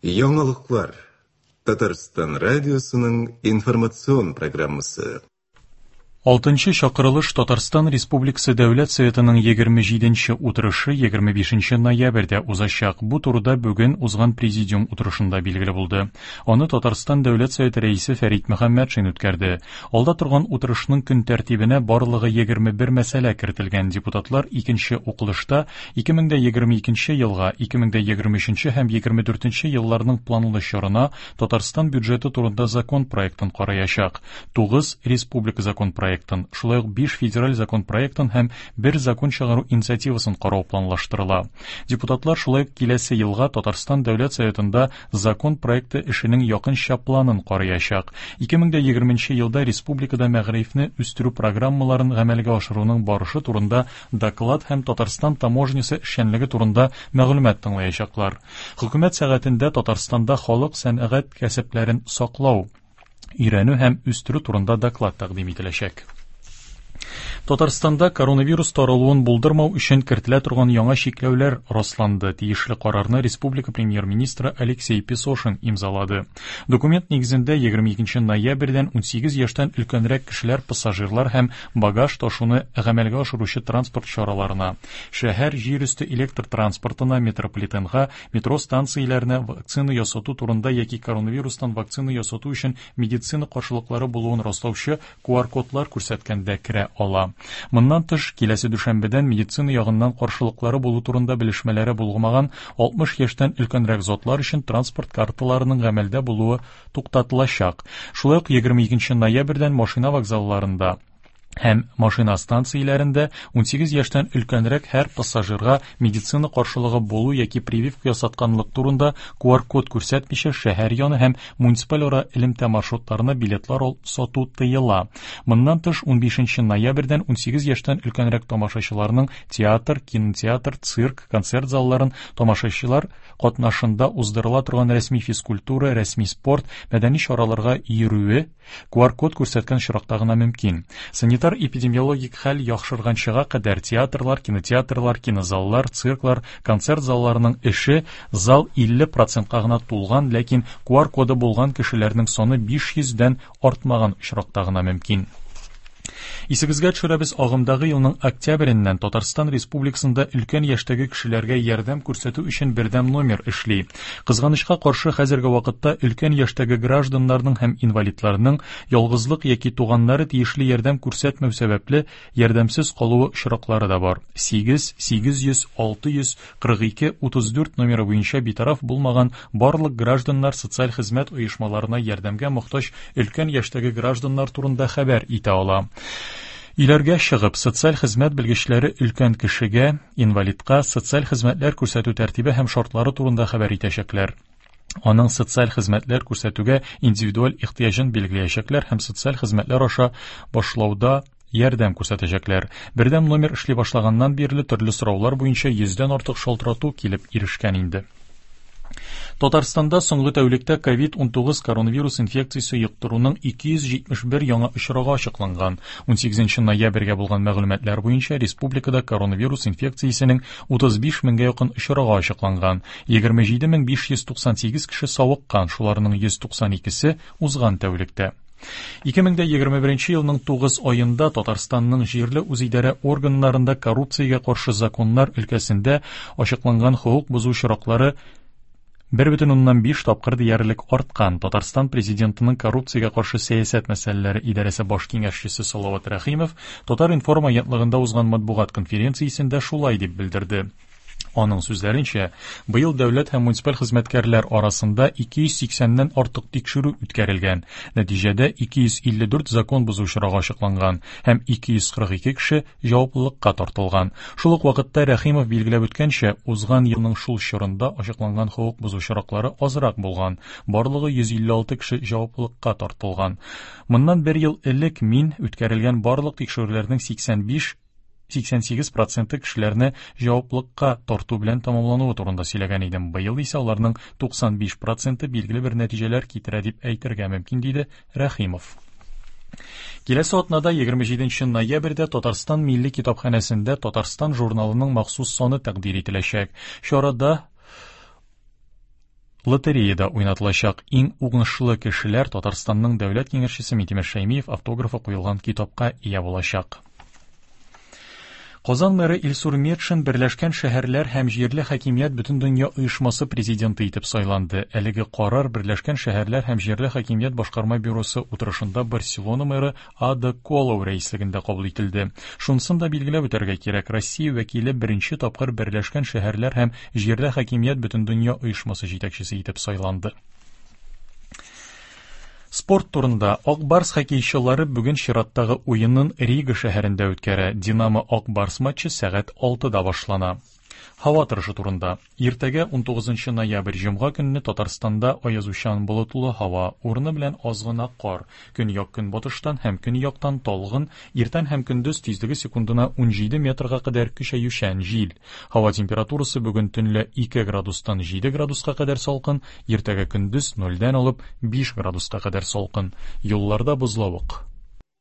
Яңалыклар. Татарстан радиосының информацион программасы. Алтынчы чакырылыш Татарстан Республикасы Дәүләт Советының 27 нче утырышы 25 ноябрьдә узачак. Бу турыда бүген узган президиум утырышында билгеле булды. Аны Татарстан Дәүләт Советы рәисе Фәрит Мөхәммәтшин үткәрде. Алда торган утырышның көн тәртибенә барлыгы 21 мәсьәлә кертелгән. Депутатлар икенче укылышта 2022 елга, 2023 һәм 2024 елларның планлы чорына Татарстан бюджеты турында закон проектын караячак. 9 республика закон проектын, шулай ук 5 федераль закон проектын һәм бер закон чыгару инициативасын карау планлаштырыла. Депутатлар шулай ук киләсе елга Татарстан Дәүләт Советында закон проекты эшенең якынча планын караячак. 2020 елда республикада мәгарифне үстерү программаларын гамәлгә ашыруның барышы турында доклад һәм Татарстан таможнясы эшчәнлеге турында мәгълүмат тыңлаячаклар. Хөкүмәт сәгатендә Татарстанда халык сәнәгать кәсепләрен саклау, өйрәнү һәм үстерү турында доклад тәкъдим ителәчәк. Татарстанда коронавирус таралуын булдырмау өчен кертелә торган яңа чикләүләр расланды. Тиешле карарны республика премьер-министры Алексей Песошин имзалады. Документ нигезендә 22 ноябрьдән 18 яшьтән өлкәнрәк кешеләр пассажирлар һәм багаж ташуны гамәлгә ашыручы транспорт чараларына, шәһәр җир өсте электр транспортына, метрополитенга, метро станцияләренә вакцина ясату турында яки коронавирустан вакцина ясату өчен медицина каршылыклары булуын раслаучы QR-кодлар күрсәткәндә керә ала. Моннан тыш, киләсе дүшәмбедән медицина ягыннан каршылыклары булу турында белешмәләре булмаган 60 яшьтән өлкәнрәк затлар өчен транспорт карталарының гамәлдә булуы туктатылачак. Шулай ук 22 ноябрьдән машина вокзалларында һәм машина станцияләрендә 18 яшьтән өлкәнрәк һәр пассажирга медицина каршылыгы булу яки прививка ясатканлык турында QR-код күрсәтмичә шәһәр яны һәм муниципаль ара элемтә маршрутларына билетлар сату тыела. Моннан тыш 15 ноябрьдән 18 яшьтән өлкәнрәк тамашачыларның театр, кинотеатр, цирк, концерт залларын тамашачылар катнашында уздырыла торган рәсми физкультура, рәсми спорт, мәдәни чараларга йөрүе QR-код күрсәткән очракта гына мөмкин. Санитар-эпидемиологик хәл яхшырганчыга кадәр театрлар, кинотеатрлар, кинозаллар, цирклар, концерт залларының эше зал 50 процентка гына тулган, ләкин QR-коды булган кешеләрнең саны 500 дән артмаган очракта гына мөмкин. Исегезгә төшерәбез, агымдагы елның октябреннән Татарстан Республикасында өлкән яшьтәге кешеләргә ярдәм күрсәтү өчен бердәм номер эшли. Кызганычка каршы, хәзерге вакытта өлкән яшьтәге гражданнарның һәм инвалидларның ялгызлык яки туганнары тиешле ярдәм күрсәтмәү сәбәпле ярдәмсез калуы очраклары да бар. 8 800 642 34 номеры буенча битараф булмаган барлык гражданнар социаль хезмәт оешмаларына ярдәмгә мохтаҗ өлкән яшьтәге гражданнар турында хәбәр итә ала. Өйләргә чыгып, социаль хезмәт белгечләре өлкән кешегә, инвалидка социаль хезмәтләр күрсәтү тәртибе һәм шартлары турында хәбәр итәчәкләр. Аның социаль хезмәтләр күрсәтүгә индивидуаль ихтыяҗын билгеләячәкләр һәм социаль хезмәтләр аша башлауда ярдәм күрсәтәчәкләр. Бердәм номер эшли башлаганнан бирле төрле сораулар буенча йөздән артык шалтырату килеп ирешкән инде. Татарстанда соңгы тәүлектә COVID-19 коронавирус инфекциясе йоктыруның 271 яңа очрагы ачыкланган. 18 ноябрьгә булган мәгълүматлар буенча республикада коронавирус инфекциясенең 35 меңгә якын очрагы ачыкланган. 27598 кеше савыккан, шуларның 192-се узган тәүлектә. 2021 елның 9 аенда Татарстанның җирле үзидарә органнарында коррупциягә каршы законнар өлкәсендә ачыкланган хокук бозу очраклары 1,5 тапкыр диярлек арткан. Татарстан президентының коррупциягә каршы сәясәт мәсьәләләре идарәсе баш киңәшчесе Салават Рәхимов Татар-информ агентлыгында узган матбугат конференциясендә шулай дип белдерде. Аның сүзләренчә, быел дәүләт һәм муниципаль хезмәткәрләр арасында 280-нән артык тикшерү үткәрелгән. Нәтиҗәдә 254 закон бозу очрагы ачыкланган һәм 242 кеше җаваплылыкка тартылган. Шул ук вакытта Рәхимов билгеләп үткәнчә, узган елның шул чорында ачыкланган хокук бозу очраклары азрак булган. Барлыгы 156 кеше җаваплылыкка тартылган. Моннан бер ел элек мин үткәрелгән барлык тикшерүләрнең 85 88 проценты кешеләрне җаваплылыкка тарту белән тәмамлануы турында сөйләгән идем. Быел исә аларның 95 проценты билгеле бер нәтиҗәләр китерә дип әйтергә мөмкин, диде Рәхимов. Киләсе атнада 27 ноябрьдә Татарстан Милли китапханәсендә Татарстан журналының махсус саны тәкъдир ителәчәк. Чарада Лотереяда уйнатылачак. Иң уңышлы кешеләр Татарстанның дәүләт киңәшчесе Минтимер Шәймиев автографы куелган китапка ия булачак. Казан мэры Илсур Метшин Берләшкән шәһәрләр һәм җирле хакимият Бөтендөнья оешмасы президенты итеп сайланды. Әлеге карар Берләшкән шәһәрләр һәм җирле хакимият башкарма бюросы утырышында Барселона мэры Ада Колау рәислегендә кабул ителде. Шунысын да билгеләп үтәргә кирәк, Россия вәкиле беренче тапкыр Берләшкән шәһәрләр һәм җирле хакимият Бөтендөнья оешмасы җитәкчесе итеп сайланды. Спорт турында. Ак Барс хоккейчылары бүген чираттагы уенын Рига шәһәрендә үткәрә. Динамо Ак Барс матчы сәгать 6-да башлана. Һава торышы турында. Иртәгә 19 ноябрь җомга көнне Татарстанда аязучан болытлы һава, урыны белән аз гына кар, көньяк-көнбатыштан һәм көньяктан талгын, иртән һәм көндез тизлеге секундына 17 метрга кадәр көчәючән җил. Һава температурасы бүген төнлә 2 градустан 7 градуска кадәр салкын, иртәгә көндез 0-дән алып 5 градуска кадәр салкын. Юлларда бозлавык.